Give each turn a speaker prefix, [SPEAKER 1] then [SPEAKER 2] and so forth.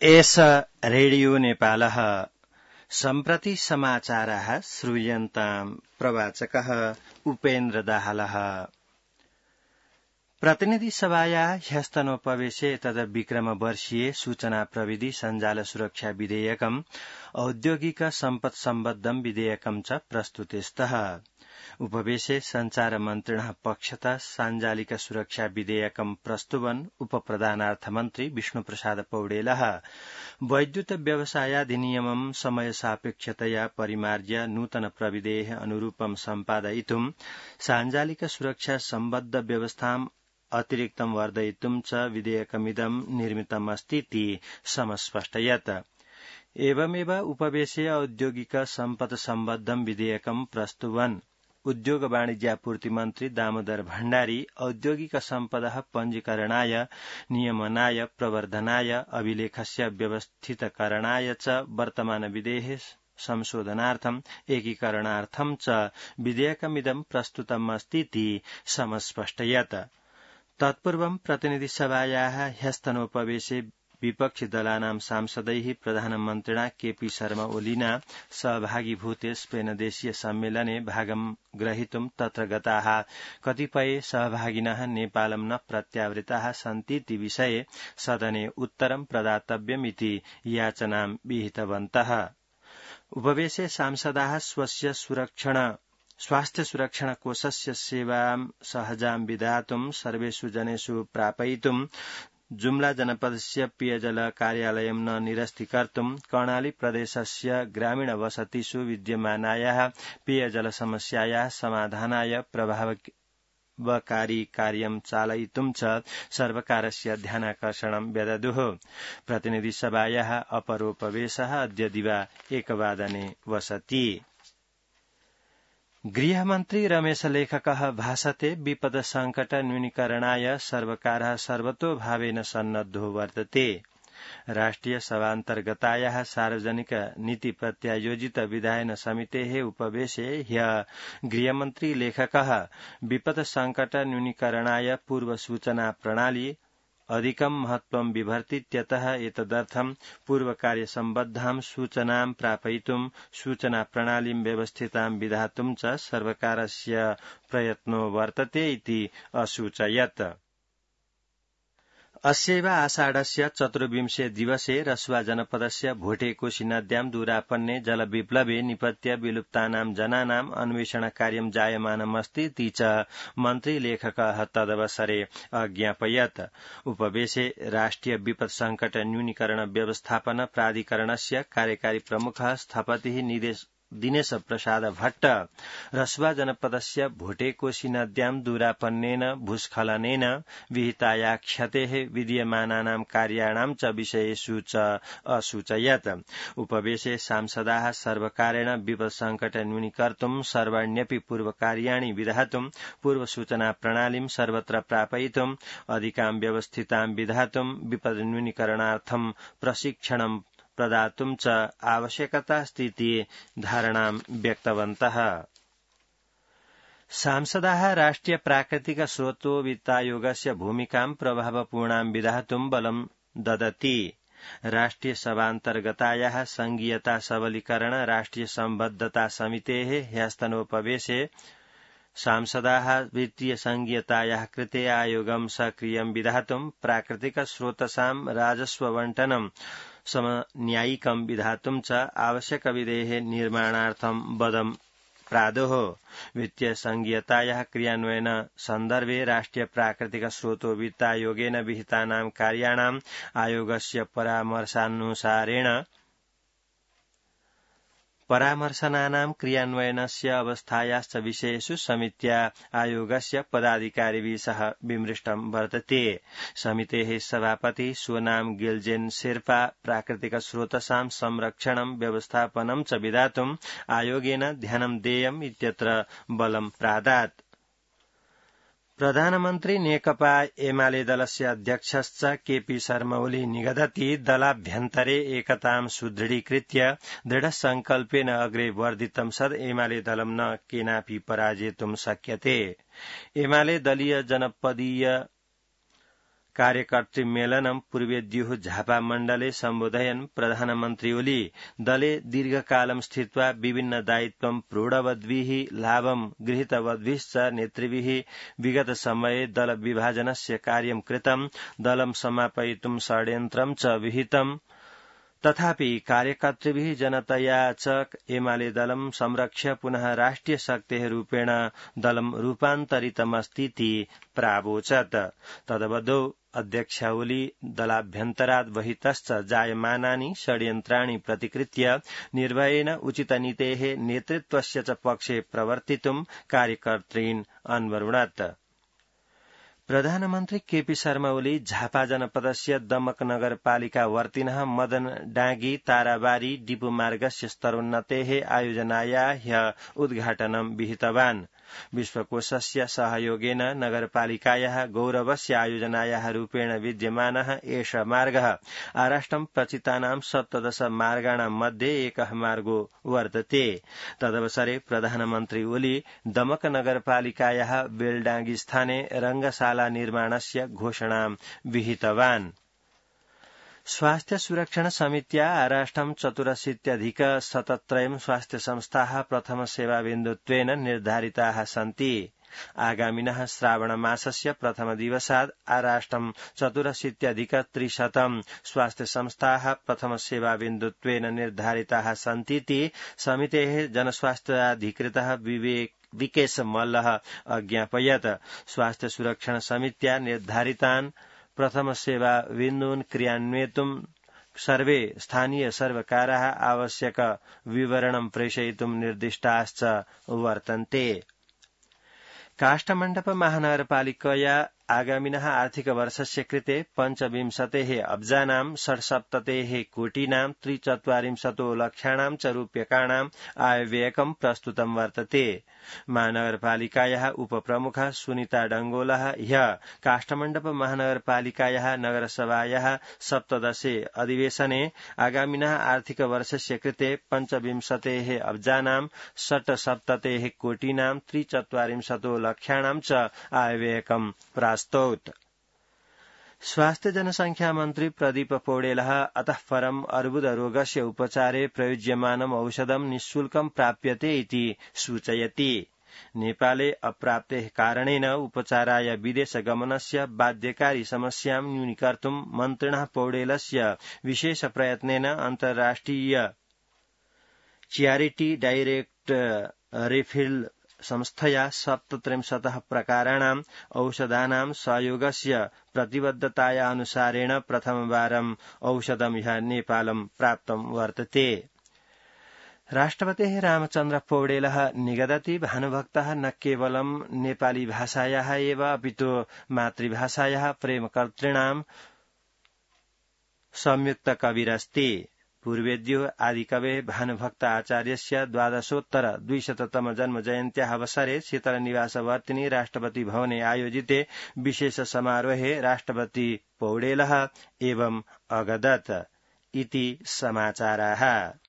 [SPEAKER 1] एष रेडियो नेपालः सम्प्रति समाचारः श्रूयन्ताम् प्रवाचकः उपेन्द्र दाहालः। प्रतिनिधि सभायाः ह्यस्तनोपवेशे तद्विक्रमवर्षीये सूचना प्रविधि सञ्जाल सुरक्षा विधेयकम् औद्योगिक सम्पत् सम्बद्धम् विधेयकम् च प्रस्तुतेस्तः। उपवेशे संचार मन्त्रिणः पक्षतः साञ्जालिक सुरक्षा विधेयकम् प्रस्तुवन् उपप्रधानार्थमन्त्री विष्णुप्रसाद पौडेलः वैद्युत व्यवसायाधिनियमम् समय सापेक्षतया परिमार्ज्य नूतन प्रविधेः अनुरूपम् सम्पादयितुम् साञ्जालिक सुरक्षा सम्बद्ध व्यवस्थाम् अतिरिक्तं वर्धयितुं च विधेयकमिदं निर्मितमस्तीति समस्पष्टयत्। एवमेव उपवेशे औद्योगिक सम्पत् सम्बद्धं विधेयकं प्रस्तुवन् उद्योग वाणिज्यापूर्ति मन्त्री दामोदर भण्डारी औद्योगिक सम्पदः पञ्जीकरणाय नियमनाय प्रवर्धनाय अभिलेखस्य व्यवस्थितकरणाय च वर्तमान विधेः संशोधनार्थम् एकीकरणार्थं च विधेयकमिदं प्रस्तुतमस्तीति समस्पष्टयत्। तत्पूर्वं प्रतिनिधिसभायाः ह्यस्तनोपवेशे विपक्षी दलानां सांसदैः प्रधानमन्त्रिणा केपी शर्मा ओलीना सहभागीभूते स्पेन देशीय सम्मेलने भागं ग्रहीतुं तत्र गताः कतिपय सहभागिनः नेपालं न प्रत्यावृताः सन्तीति विषये सदने उत्तरं प्रदातव्यमिति याचनां विहितवन्तः। उपवेशे सांसदाः स्वस्य स्वास्थ्य सुरक्षण कोषस्य सेवां सहजां विधातुं सर्वेषु जनेषु प्रापयितुं जुम्ला जनपदस्य पेयजल कार्यालयं न निरस्तीकर्तुं कर्णाली प्रदेशस्य ग्रामीण वसतिषु विद्यमानायाः पेयजल समस्यायाः समाधानाय प्रभावकारी कार्यं चालयितुं च सर्वकारस्य ध्यानाकर्षणं व्यददुः। प्रतिनिधिसभायाः अपरोपवेशः अद्य दिवा 1 वादने वसति। गृहमन्त्री रमेश लेखकः भाषते विपद संकट न्यूनीकरणाय सर्वकारः सर्वतोभावेन सन्नद्धो वर्तते। राष्ट्रिय सभान्तर्गतायाः सार्वजनिक नीति प्रत्यायोजित विधायन समितेः उपवेशे ह्यः गृहमन्त्री लेखकः विपद संकट न्यूनीकरणाय पूर्व सूचना प्रणाली अधिकं महत्वं बिभर्तीत्यतः एतदर्थं पूर्वकार्यसम्बद्धां सूचनां प्रापयितुं सूचना प्रणालीं व्यवस्थितां विधातुं च सर्वकारस्य प्रयत्नो वर्तते इति असूचयत्। अस्यैव आषाढस्य 24 दिवसे रसुवा जनपदस्य भोटेकोशी नद्यां दूरापन्ने जलविप्लवे निपत्य विलुप्तानां जनानाम् अन्वेषण कार्यं जायमानमस्तीति च मन्त्री लेखकः तदवसरे अज्ञापयत्। उपवेशे राष्ट्रिय विपद संकट न्यूनीकरण व्यवस्थापन प्राधिकरणस्य कार्यकारी प्रमुखः स्थपतिः दिनेश प्रसाद भट्ट रसुवा जनपदस्य भोटेकोशी नद्यां दूरापन्नेन भूस्खलनेन विहिताया क्षतेः विद्यमानानां कार्याणां च विषयेषु च असूचयत्। उपवेशे सांसदाः सर्वकारेण विपद संकट न्यूनीकर्तुं सर्वाण्यपि पूर्वकार्याणि विधातुं पूर्वसूचना प्रणालीं सर्वत्र प्रापयितुं अधिकां व्यवस्थितां विधातुं विपद न्यूनीकरणार्थं प्रशिक्षणं प्रदातुं च आवश्यकतास्तीति धारणां व्यक्तवन्तः। सांसदाः राष्ट्रिय प्राकृतिक स्रोतो वित्तायोगस्य भूमिकां प्रभावपूर्णां विधातुं बलं ददति। राष्ट्रिय सभान्तर्गतायाः संघीयता सबलीकरण राष्ट्रिय सम्बद्धता समितेः ह्यस्तनोपवेशे सांसदाः वित्तीय संघीयतायाः कृते आयोगं सक्रियं विधातुं प्राकृतिक स्रोतसां राजस्व वण्टनं समन्यायिकं विधातुं च आवश्यक विधेः निर्माणार्थं बलं प्रादुः। वित्तीय संघीयतायाः क्रियान्वयन सन्दर्भे राष्ट्रिय प्राकृतिक स्रोतो वित्तायोगेन विहितानां कार्याणाम् आयोगस्य परामर्शनानां क्रियान्वयनस्य अवस्थायाश्च विषयेषु समित्या आयोगस्य पदाधिकारिभिः सह विमृष्टं वर्तते। समितेः सभापति सोनाम गिल्जेन शेर्पा प्राकृतिक स्रोतसां संरक्षणं व्यवस्थापनं च विधातुं आयोगेन ध्यानं देयम् इत्यत्र बलं प्रादात्। प्रधानमन्त्री नेकपा एमाले दलस्य अध्यक्षश्च केपी शर्मा ओली निगदति दलाभ्यन्तरे एकतां सुदृढीकृत्य दृढसंकल्पेन अग्रे वर्धितं सद् एमाले दलं न केनापि पराजेतुं शक्यते। एमाले दलीय जनपदीय कार्यकर्तृ मेलनं पूर्वेद्युः झापा मण्डले सम्बोधयन् प्रधानमन्त्री ओली दले दीर्घकालं स्थित्वा विभिन्न दायित्वं प्रोढवद्भिः लाभं गृहीतवद्भिश्च नेतृभिः विगत समये दल विभाजनस्य कार्यं कृतं दलं समापयितुं षड्यन्त्रं च विहितम् तथापि कार्यकर्तृभिः जनतया च एमाले दलं संरक्ष्य पुनः राष्ट्रिय शक्तेः रूपेण दलं रूपान्तरितमस्तीति प्रावोचत् तदवधौ अध्यक्ष ओली दलाभ्यन्तरात् बहितश्च जायमानानि षड्यन्त्राणि प्रतिकृत्य निर्भयेन उचितनीतेः नेतृत्वस्य च पक्षे प्रवर्तितुं कार्यकर्तॄन् अन्वरुणत् प्रधानमन्त्री केपी शर्मा ओली झापा जनपदस्य दमक नगरपालिका वर्तिनः मदन डाँगी ताराबारी डिपुमार्गस्य स्तरोन्नतेः आयोजनाया ह्य उद्घाटनं विहितवान् विश्वकोशस्य सहयोगेन नगरपालिकायाः गौरवस्य आयोजनायाः रूपेण विद्यमानः एष मार्गः आराष्ट्रं प्रचितानां 17 मार्गाणां मध्ये एकः मार्गो वर्तते तदवसरे प्रधानमन्त्री ओली दमक नगरपालिकायाः बेलडांगी स्थाने रंगशाला निर्माणस्य घोषणां विहितवान् स्वास्थ्य सुरक्षण समित्या आराष्ट्रं 84,073 स्वास्थ्य संस्थाः प्रथम सेवाबिन्दुत्वेन निर्धारिताः सन्ति आगामिनः श्रावणमासस्य प्रथम दिवसात् आराष्ट्रं 84,300 स्वास्थ्य संस्थाः प्रथम सेवाबिन्दुत्वेन निर्धारिताः सन्तीति समितेः जनस्वास्थ्याधिकृतः विकेश मल्लः अज्ञापयत् स्वास्थ्य सुरक्षण समित्या निर्धारितान् प्रथम सेवा बिन्दून् क्रियान्वेतुं सर्वे स्थानीय सर्वकाराः आवश्यक विवरणं प्रेषयितुं निर्दिष्टाश्च वर्तन्ते काष्ठमण्डप महानगरपालिकया आगामिनः आर्थिक वर्षस्य कृते 25 अब्जानां 67 कोटीनां 43 लक्षाणां च रूप्यकाणां आयव्ययकं प्रस्तुतं वर्तते महानगरपालिकायाः उपप्रमुखः सुनीता डंगोलः ह्यः काष्ठमण्डप महानगरपालिकायाः नगरसभायाः 17 अधिवेशने आगामिनः आर्थिक वर्षस्य कृते 25 अब्जानां 67 कोटीनां 43 लक्षाणां च आयव्ययकं प्रास्तौत् स्वास्थ्य जनसंख्या मन्त्री प्रदीप पौडेलः अतः परम् अर्बुदरोगस्य उपचारे प्रयुज्यमानम् औषधं निःशुल्कं प्राप्यते इति सूचयति नेपाले अप्राप्तेः कारणेन उपचाराय विदेशगमनस्य बाध्यकारी समस्यां न्यूनीकर्तुं मन्त्रिणः पौडेलस्य विशेष प्रयत्नेन अन्तर्राष्ट्रिय चैरिटी डाइरेक्ट रिफिल संस्थया 37 प्रकाराणाम् औषधानां सहयोगस्य प्रतिबद्धताया अनुसारेण प्रथमवारम् औषधं ह्यः नेपालं प्राप्तं वर्तते राष्ट्रपतेः रामचन्द्र पौडेलः निगदति भानुभक्तः न केवलं नेपाली भाषायाः एव अपितु मातृभाषायाः प्रेमकर्तॄणां संयुक्त कविरस्ति पूर्वेद्युः आदिकवेः भानुभक्त आचार्यस्य 12,200तम जन्मजयन्त्याः अवसरे शीतलनिवासवर्तिनि राष्ट्रपति भवने आयोजिते विशेष समारोहे राष्ट्रपति पौडेलः एवम् अगदत् इति समाचाराः।